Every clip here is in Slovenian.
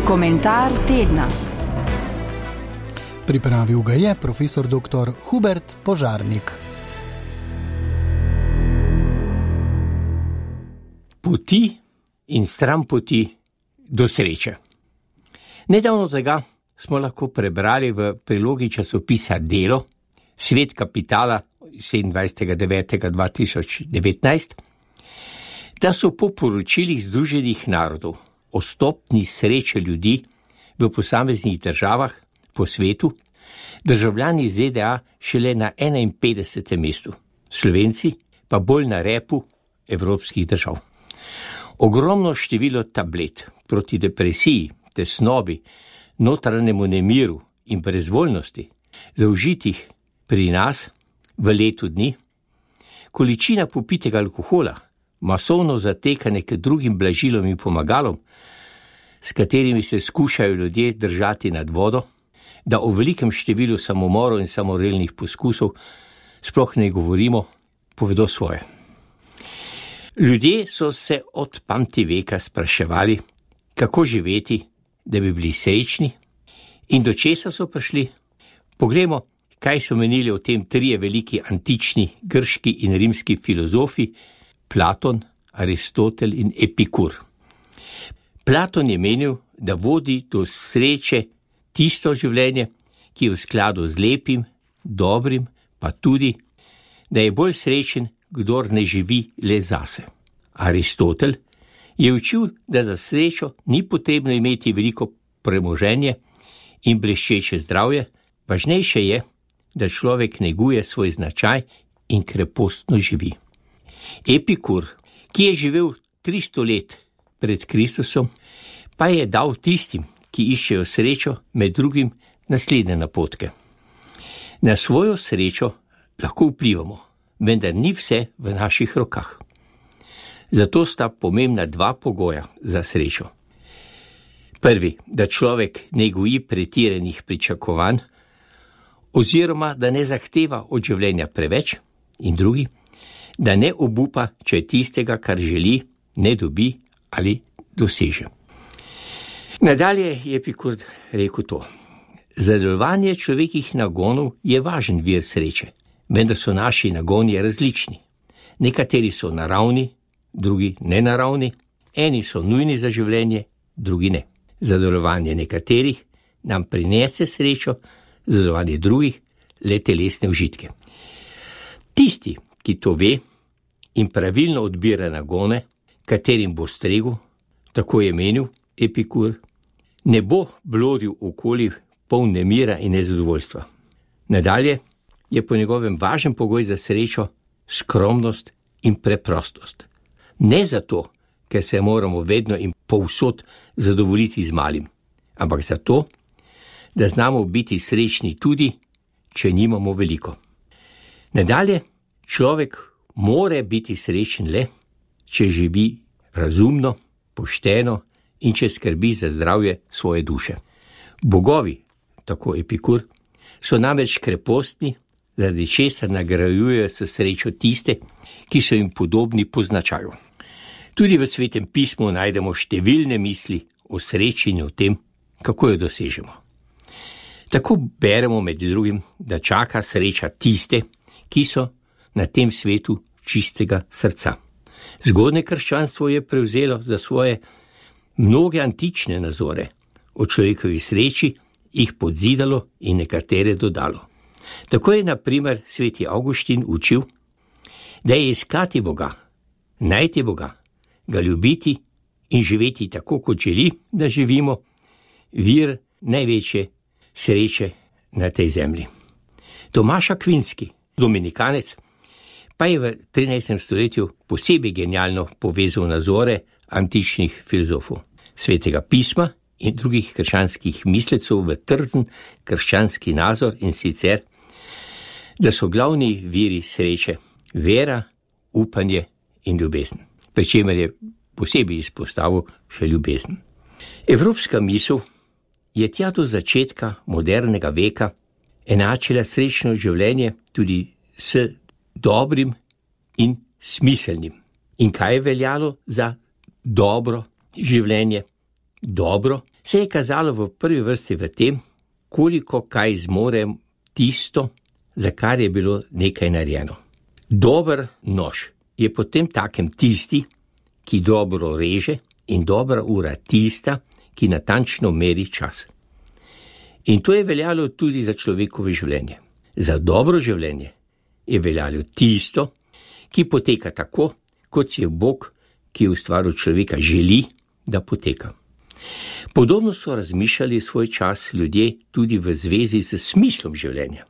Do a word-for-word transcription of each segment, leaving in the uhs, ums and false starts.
Komentar tedna. Pripravil ga je profesor doktor Hubert Požarnik. Poti in stran poti do sreče. Nedavno tega smo lahko prebrali v prilogi časopisa Delo, Svet kapitala sedemindvajsetega devetega dva tisoč devetnajst, da so po poročilih Združenih narodov o stopnji sreče ljudi v posameznih državah po svetu državljani Z D A šele na enainpetdesetem mestu, Slovenci pa bolj na repu evropskih držav. Ogromno število tablet proti depresiji, tesnobi, notranjemu nemiru in brezvoljnosti zaužitih pri nas v letu dni, količina popitega alkohola, masovno zatekanje k drugim blažilom in pomagalom, s katerimi se skušajo ljudje držati nad vodo, da o velikem številu samomorov in samorelnih poskusov sploh ne govorimo, povedo svoje. Ljudje so se od pamtiveka spraševali, kako živeti, da bi bili srečni, in do česa so prišli. Poglejmo, kaj so menili o tem trije veliki antični grški in rimski filozofi, Platon, Aristotel in Epikur. Platon je menil, da vodi do sreče tisto življenje, ki je v skladu z lepim, dobrim, pa tudi, da je bolj srečen, kdor ne živi le zase. Aristotel je učil, da za srečo ni potrebno imeti veliko premoženje in bleščeče zdravje, važnejše je, da človek neguje svoj značaj in krepostno živi. Epikur, ki je živel tristo let pred Kristusom, pa je dal tistim, ki iščejo srečo, med drugim naslednje napotke. Na svojo srečo lahko vplivamo, vendar ni vse v naših rokah. Zato sta pomembna dva pogoja za srečo. Prvi, da človek ne goji pretiranih pričakovanj, oziroma da ne zahteva od življenja preveč, in drugi, da ne obupa, če tistega, kar želi, ne dobi ali doseže. Nadalje je Epikur rekel to. Zadovoljevanje človekih nagonov je važen vir sreče, vendar so naši nagoni različni. Nekateri so naravni, drugi nenaravni, eni so nujni za življenje, drugi ne. Zadovoljevanje nekaterih nam prinese srečo, zadovoljevanje drugih le telesne užitke. Tisti, ki to ve in pravilno odbira nagone, katerim bo stregel, tako je menil Epikur, ne bo blodil okoli poln nemira in nezadovoljstva. Nadalje je po njegovem važen pogoj za srečo skromnost in preprostost. Ne zato, ker se moramo vedno in povsod zadovoljiti z malim, ampak zato, da znamo biti srečni tudi, če nimamo veliko. Nadalje, človek more biti srečen le, če živi razumno, pošteno in če skrbi za zdravje svoje duše. Bogovi, tako Epikur, so namreč krepostni, zaradi česar nagrajujejo s srečo tiste, ki so jim podobni po značaju. Tudi v Svetem pismu najdemo številne misli o sreči in o tem, kako jo dosežemo. Tako beremo med drugim, da čaka sreča tiste, ki so na tem svetu čistega srca. Zgodnje krščanstvo je prevzelo za svoje mnoge antične nazore o človekovi sreči, jih podzidalo in nekatere dodalo. Tako je na primer sveti Avguštin učil, da je iskati Boga, najti Boga, ga ljubiti in živeti tako, kot želi, da živimo, vir največje sreče na tej zemlji. Tomaš Akvinski, dominikanec, pa je v trinajstem stoletju posebej genialno povezal nazore antičnih filozofov, Svetega pisma in drugih krščanskih mislecev v trden krščanski nazor, in sicer, da so glavni viri sreče vera, upanje in ljubezen, pri čemer je posebej izpostavil še ljubezen. Evropska misel je tja do začetka modernega veka enačila srečno življenje tudi s dobrim in smiselnim. In kaj je veljalo za dobro življenje? Dobro se je kazalo v prvi vrsti v tem, koliko kaj zmore tisto, za kar je bilo nekaj narejeno. Dober nož je potem takem tisti, ki dobro reže, in dobra ura tista, ki natančno meri čas. In to je veljalo tudi za človekovo življenje. Za dobro življenje je veljalo tisto, ki poteka tako, kot si je Bog, ki je ustvaril človeka, želi, da poteka. Podobno so razmišljali svoj čas ljudje tudi v zvezi s smislom življenja.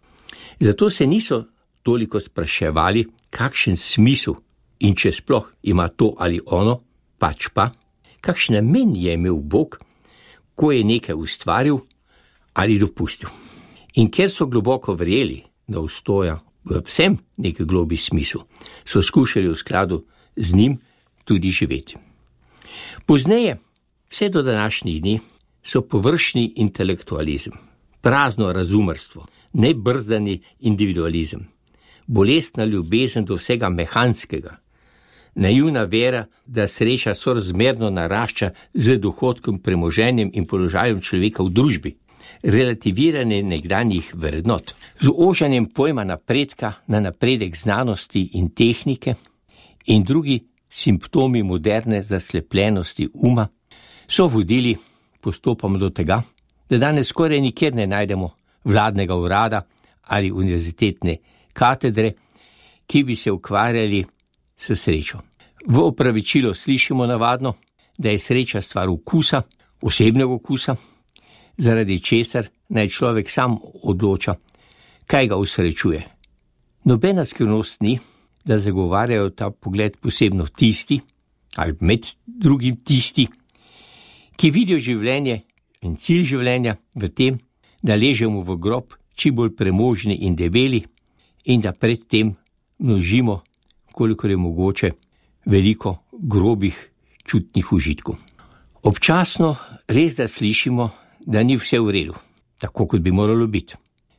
Zato se niso toliko spraševali, kakšen smisel in če sploh ima to ali ono, pač pa, kakšen namen je imel Bog, ko je nekaj ustvaril ali dopustil. In ker so globoko verjeli, da obstoja v vsem nek globi smisel, so skušali v skladu z njim tudi živeti. Pozneje, vse do današnjih dni, so površni intelektualizem, prazno razumerstvo, nebrzdani individualizem, bolestna ljubezen do vsega mehanskega, naivna vera, da sreča sorazmerno narašča z dohodkom, premoženjem in položajem človeka v družbi, relativiranje nekdanjih vrednot, z ožanjem pojma napredka na napredek znanosti in tehnike in drugi simptomi moderne zaslepljenosti uma, so vodili postopoma do tega, da danes skoraj nikjer ne najdemo vladnega urada ali univerzitetne katedre, ki bi se ukvarjali s srečo. V opravičilo slišimo navadno, da je sreča stvar okusa, osebnega okusa, zaradi česar naj človek sam odloča, kaj ga usrečuje. Nobena skrivnost ni, da zagovarjajo ta pogled posebno tisti, ali med drugim tisti, ki vidijo življenje in cilj življenja v tem, da ležemo v grob čim bolj premožni in debeli in da pred tem množimo, kolikor je mogoče, veliko grobih čutnih užitkov. Občasno res da slišimo, da ni vse v redu, tako kot bi moralo biti.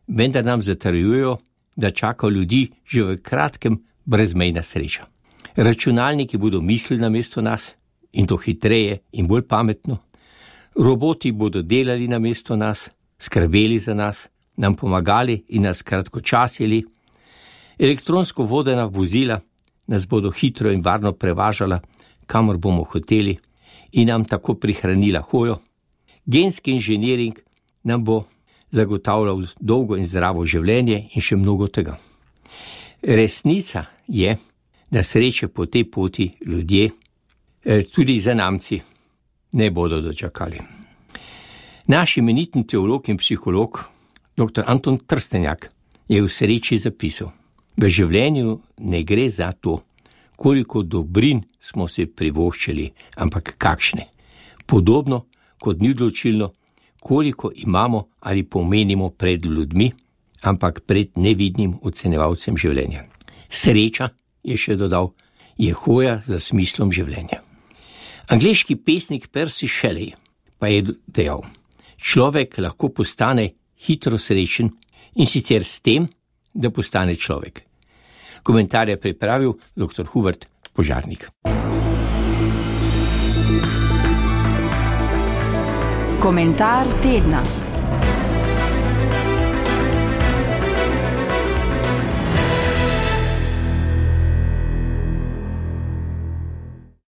Vendar nam zatrjujejo, da čaka ljudi že v kratkem brezmejna sreča. Računalniki bodo mislili namesto nas, in to hitreje in bolj pametno. Roboti bodo delali namesto nas, skrbeli za nas, nam pomagali in nas kratkočasili. Elektronsko vodena vozila nas bodo hitro in varno prevažala, kamor bomo hoteli, in nam tako prihranila hojo. Genski inženiring nam bo zagotavljal dolgo in zdravo življenje in še mnogo tega. Resnica je, da sreče po tej poti ljudje, tudi zanamci, ne bodo dočakali. Naš imenitni teolog in psiholog, doktor Anton Trstenjak, je v sreči zapisal: v življenju ne gre za to, koliko dobrin smo se privoščili, ampak kakšne. Podobno kot ni odločilno, koliko imamo ali pomenimo pred ljudmi, ampak pred nevidnim ocenjevalcem življenja. Sreča, je še dodal, je hoja za smislom življenja. Angleški pesnik Percy Shelley pa je dejal: človek lahko postane hitro srečen, in sicer s tem, da postane človek. Komentar je pripravil doktor Hubert Požarnik. Komentar tedna.